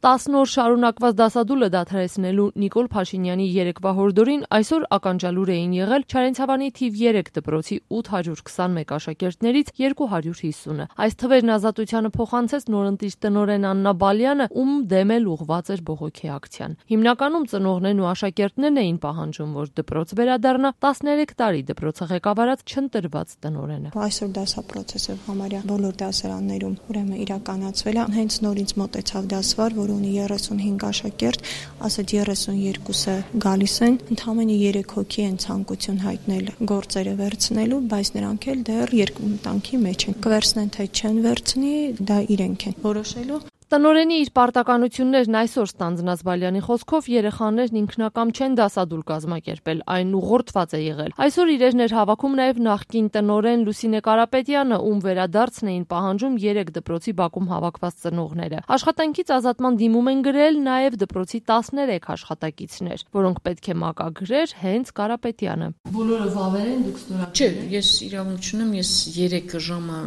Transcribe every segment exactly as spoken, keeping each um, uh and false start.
տասն օր շարունակված դասադուլը դադարեցնելու Նիկոլ Փաշինյանի երեկվա հորդորին այսօր ականջալուր էին եղել Չարենցավանի թիվ երեք դպրոցի ութ հարյուր քսանմեկ աշակերտներից երկու հարյուր հիսունը։ Այս թվերն ազատությանը փոխանցեց նորընտիր տնօրեն Աննա Բալյանը, ում դեմ էլ ուղղված էր բողոքի ակցիան։ Հիմնականում ծնողներն ու աշակերտներն էին պահանջում, որ դպրոց վերադառնա տասներեք տարի դպրոցը ղեկավարած չընտրված տնօրենը։ Այսօր դասապրոցեսը համարյա բոլոր դասարաններում ուրեմն իրականացվել է, հենց նորից մոտեցավ դասվար, որ ունի երեսունհինգ աշակերտ, ասած երեսունյոթը գալիս են, ընդամենը երեք հոգի են ցանկություն հայտնել գործերը վերցնելու, բայց նրանք էլ դեռ երկմտանքի մեջ են։ Կվերցնեն թե չեն վերցնի, դա իրենք են որոշելու։ Տնօրենի իր պարտականություններն այսօր ստանձնած Բալյանի խոսքով երեխաներն ինքնակամ չեն դասադուլ կազմակերպել, այն ուղղորդված է եղել։ Այսօր իրերն էր հավաքում նաև նախկին տնօրեն Լուսինե Կարապետյանը, ում վերադարձն էին պահանջում երեք դպրոցի բակում հավաքված ծնողները։ Աշխատանքից ազատման դիմում են գրել նաև դպրոցի տասներեք աշխատակիցներ, որոնք պետք է մակագրեր հենց Կարապետյանը։ Բոլորը վավեր են, դուք ստորագրել։ Չէ, ես իրավունք չունեմ, ես երեք ժամը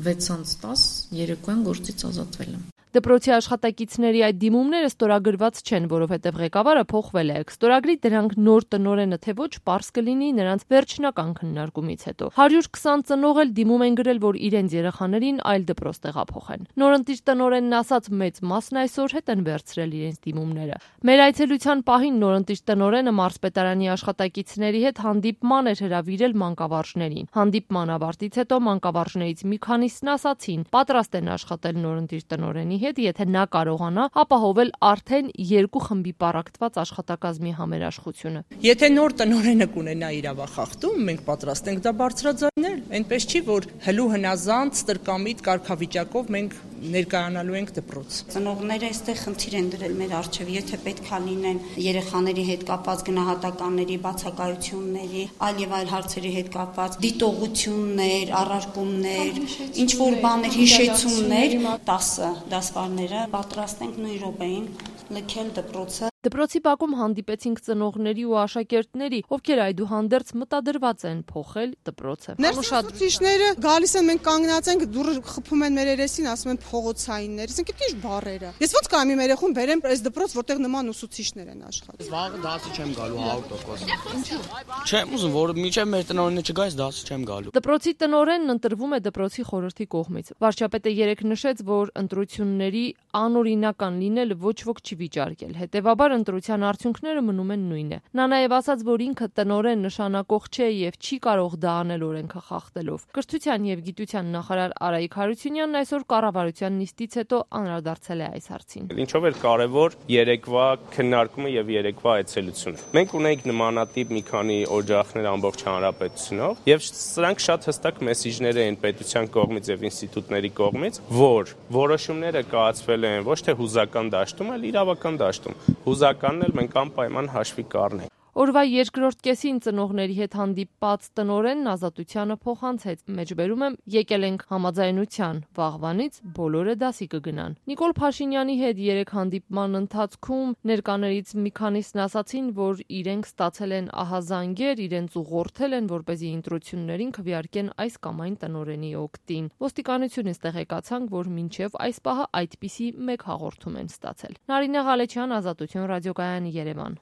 վեցից տասը երեկոյան գործից ազատվել եմ։ Դպրոցի աշխատակիցների այդ դիմումները ստորագրված չեն, որովհետև ղեկավարը փոխվել է։ Ստորագրի դրանք նոր տնօրենը թե ոչ պարզ կլինի նրանց վերջնական քննարկումից հետո։ հարյուր քսան ծնող էլ դիմում են գրել, որ իրենց երեխաներին այլ դպրոց տեղափոխեն։ Նորընտիր տնօրենն ասաց, մեծ մասն այսօր հետ են վերցրել իրենց դիմումները։ Մեր այցելության պահին նորընտիր տնօրենը մարզպետարանի աշխատակիցների հետ հանդիպման էր հրավիրել մանկավարժներին։ Հանդիպման ավարտից հետո մանկավարժներից մի քանիսն ասացին, պատրաստ են աշխատել նորընտիր տնօրենի հետ, եթե նա կարողանա ապահովել արդեն երկու խմբի պառակտված աշխատակազմի համերաշխությունը։ Եթե նոր տնօրենը կունենա իրավախախտում, մենք պատրաստ ենք դա բարձրաձայնել։ Այնպես չի, որ հլու հնազանդ ստրկամիտ կարգավիճակով մենք ներկայանալու ենք դպրոց։ Ծնողները այստեղ խնդիր են դրել մեր առջև, եթե պետքա լինեն երեխաների հետ կապված գնահատականների, բացակայությունների, այլ եւ այլ հարցերի հետ կապված դիտողություններ, առարկումներ, ինչ որ բաներ, հիշեցումներ, տասը դասվարները պատրաստ ենք նույն րոպեին լքել դպրոցը։ Դպրոցի բակում հանդիպեցինք ծնողների ու աշակերտների, ովքեր այդուհանդերձ մտադրված են փոխել դպրոցը։ Ներշատուցիչները գալիս են, մենք կանգնած ենք, դուրը խփում են մեր երեսին, ասում են փողոցայիններ, ասենք ինչ բառերը։ Ես ոնց կամ իմ երեխուն բերեմ այս դպրոց, որտեղ նման ուսուցիչներ են աշխատում։ Վաղը դասի չեմ գալու հարյուր տոկոս։ Ինչու՞։ Չեմ ուզում, որ միջև մեր տնօրենը չգա, այս դասի չեմ գալու։ Դպրոցի տնօրենն ընտրվում է դպրոցի խորհրդի կողմից։ Վարչապետը երեկ նշեց, որ ընտրությունների անօրինական լինելը ոչ ոք չի վիճարկել։ Հետևաբար ընտրության արդյունքները մնում են նույնը։ Նա նաև ասաց, որ ինքը տնօրեն նշանակող չէ եւ չի կարող դա անել օրենքը խախտելով։ Կրթության եւ գիտության նախարար Արայիկ Հարությունյանն այսօր կառավարության նիստից հետո անդրադարձել է այս հարցին։ Ինչով էր կարևոր երեկվա քննարկումը եւ երեկվա այցելությունը։ Մենք ունենք նմանատիպ մի քանի օջախներ ամբողջ հանրապետությունով եւ սրանք շատ հստակ մեսիջներ են պետության կողմից եւ ինստիտուտների կողմից, որ որոշումները կայացվել են ոչ թե հուզական դաշտում, այլ իրավական դաշտում։ Հուզականն էլ մենք անպայման հաշվի կառնենք։ Օրվա երկրորդ կեսին ծնողների հետ հանդիպած տնօրենն ազատությանը փոխանցեց։ Մեջբերում եմ, եկել ենք համաձայնության, վաղվանից բոլորը դասի կգնան։ Նիկոլ Փաշինյանի հետ երեք հանդիպման ընթացքում ներկաներից մի քանիսն ասացին, որ իրենք ստացել են ահազանգեր, իրենց ուղղորդել են, որպեսզի ընտրություններին քվեարկեն այս կամ այն տնօրենի օգտին։ Ոստիկանությունից տեղեկացանք, որ մինչև այս պահը այդպիսի մեկ հաղորդում են ստացել։ Նարինե Ղալեչյան, Ազատություն ռադիոկայանի, Երևան։